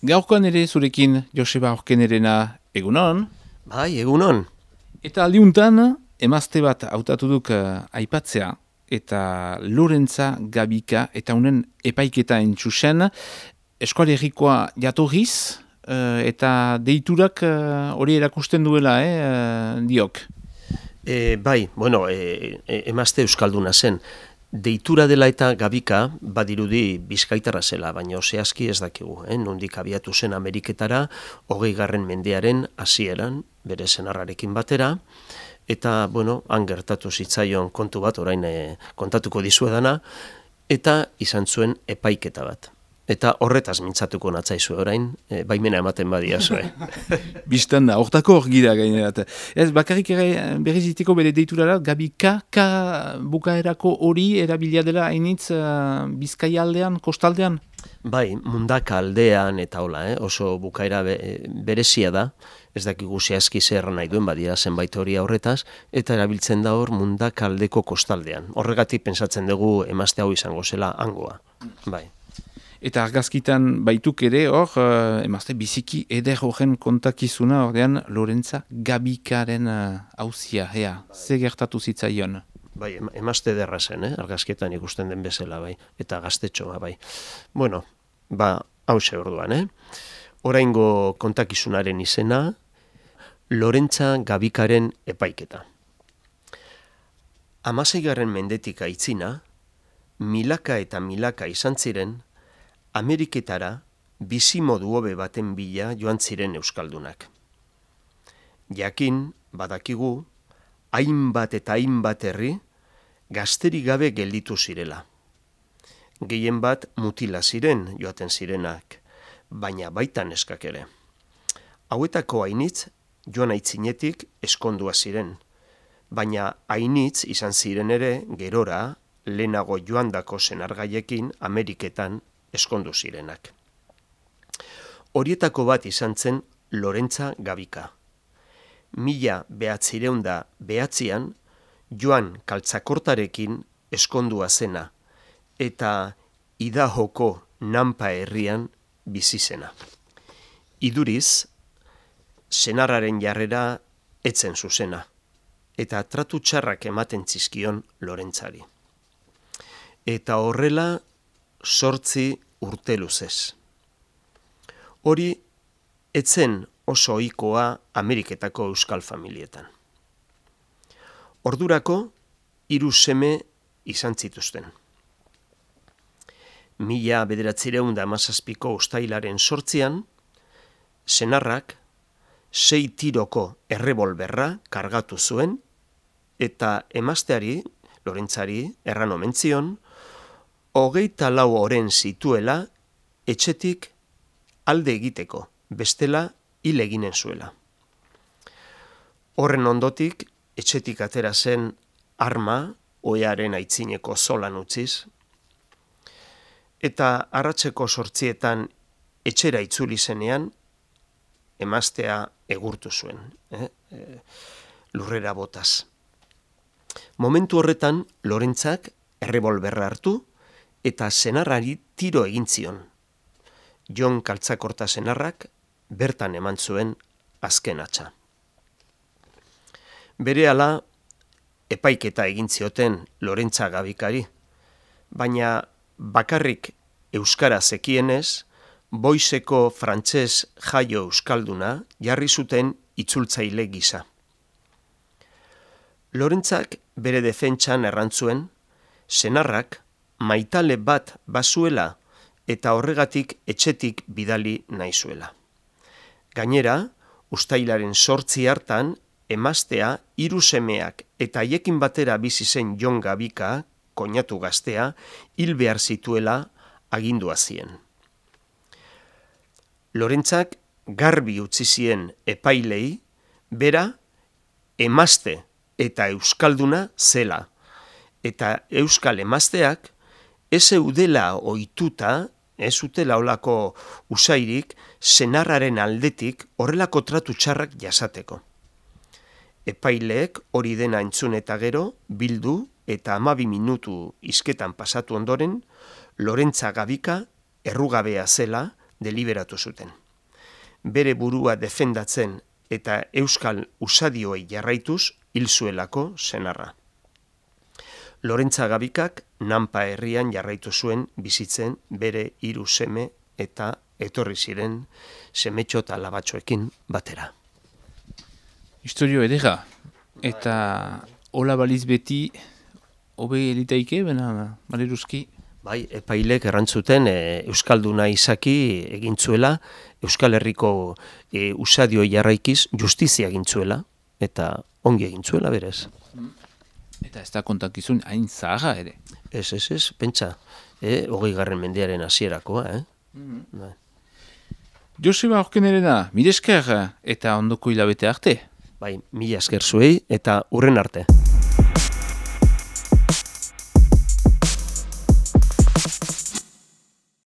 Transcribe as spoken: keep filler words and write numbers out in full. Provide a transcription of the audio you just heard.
Gaurkoan ere zurekin Joseba Orkenerena egunon. Bai, egunon. Eta aldiuntan, emazte bat hautatu duk uh, aipatzea, eta Lorentza Gabika, eta unen epaiketa entxusen, eskualerikoa jatorriz, uh, eta deiturak hori uh, erakusten duela, eh, uh, diok. E, bai, bueno, e, e, emazte euskalduna zen. Deitura dela eta Gabika badirudi bizkaitarra zela, baina zehazki ez dakigu. Eh? Nondik abiatu zen Ameriketara, hogei garren mendearen hasieran, bere senarrarekin batera, eta, bueno, han gertatu zitzaion kontu bat, orain e, kontatuko dizuedana, eta izan zuen epaiketa bat. Eta horretaz mintzatuko natzaizue orain, e, baimena ematen badiazue. Bistan da, hortako hor gira gainerat. Ez, bakarrik ere berriziteko bere deiturara, Gabika, ka bukaerako hori erabilia dela hainitz uh, Bizkaia aldean, kostaldean? Bai, Mundaka aldean eta hola, eh? Oso bukaera be, berezia da, ez dakigu zehazki zer nahi duen badira zenbait hori horretaz, eta erabiltzen da hor Mundaka aldeko kostaldean. Horregatik pentsatzen dugu emazte hau izango zela hangoa, bai. Eta argazkitan baituk ere hor, uh, emazte biziki eder horren kontakizuna ordean Lorentza Gabikaren hauzia, uh, ea, ze gertatu zitzaion? Bai, emazte ederra zen, eh? Argazkietan ikusten den bezala, bai, eta gaztetxoa, bai. Bueno, ba, hause orduan, eh? Oraingo kontakizunaren izena, Lorentza Gabikaren epaiketa. Hamaseigarren mendetik aitzina, milaka eta milaka izan ziren, Ameriketara bizimodu hobe baten bila joan ziren euskaldunak. Jakin, badakigu, hainbat eta hainbat herri gazterik gabe gelditu zirela. Gehien bat mutila ziren joaten zirenak, baina baita neskak ere. Hauetako hainitz joan aitzinetik eskondua ziren, baina hainitz izan ziren ere gerora lehenago joandako senargaiekin Ameriketan eskondu zirenak. Horietako bat izan zen Lorentza Gabika. Mila behatzireunda behatzian joan kaltzakortarekin eskondua zena eta Idahoko Nampa herrian bizi zena. Iduriz, senarraren jarrera etzen zuzena eta tratu txarrak ematen zizkion Lorentzari. Eta horrela sortzi urte luzez. Hori etzen oso ohikoa Ameriketako euskal familietan. Ordurako hiru seme izan zituzten. Mila bederatziehun eta hamazazpiko uztailaren sortzian, senarrak sei tiroko errebolberra kargatu zuen eta emazteari, Lorentzari, erran omen zion, hogeita lau oren zituela etxetik alde egiteko, bestela hil eginen zuela. Horren ondotik, etxetik atera zen arma, ohearen aitzineko zolan utziz, eta arratseko sortzietan etxera itzuli zenean, emaztea egurtu zuen, eh? E, lurrera botaz. Momentu horretan, Lorentzak errebolberra hartu, eta senarrari tiro egin zion. Jon Kaltzakorta senarrak bertan eman zuen azken hatza. Berehala epaiketa egin zioten Lorentza Gabikari, baina bakarrik euskara zekienez, Boiseko frantses jaio euskalduna jarri zuten itzultzaile gisa. Lorentzak bere defentsan errantzuen, senarrak maitale bat bazuela eta horregatik etxetik bidali nahi zuela. Gainera, uztailaren sortzi hartan, emaztea, hiru semeak eta haiekin batera bizi zen Jon Gabika, koinatu gaztea, hil behar zituela agindua zien. Lorentzak garbi utzi zien epailei, bera, emazte eta euskalduna zela, eta euskal emazteak ez eudela ohituta, ez utela olako usairik, senarraren aldetik horrelako tratu txarrak jasateko. Epaileek hori dena entzun eta gero, bildu eta hamabi minutu hizketan pasatu ondoren, Lorentza Gabika errugabea zela, deliberatu zuten. Bere burua defendatzen eta euskal usadioei jarraituz hil zuelako senarra. Lorentza Gabikak Nanpa herrian jarraitu zuen bizitzen bere hiru seme eta etorri ziren semetxo eta labatxoekin batera. Historio edera, eta hola baliz beti hobe elitaike, bena baleruzki? Bai, epailek errantzuten e, Euskalduna izaki egintzuela, Euskal Herriko e, usadio jarraikiz justizia egintzuela, eta ongi egintzuela berez. Eta ez da kontakizun hain zaharra ere. Ez, ez, ez, pentsa, e, hogei garren mendearen hasierakoa, eh? Mm-hmm. Joseba Orkenerena, mire esker eta ondoko hilabete arte. Bai, mila esker zuei eta urren arte.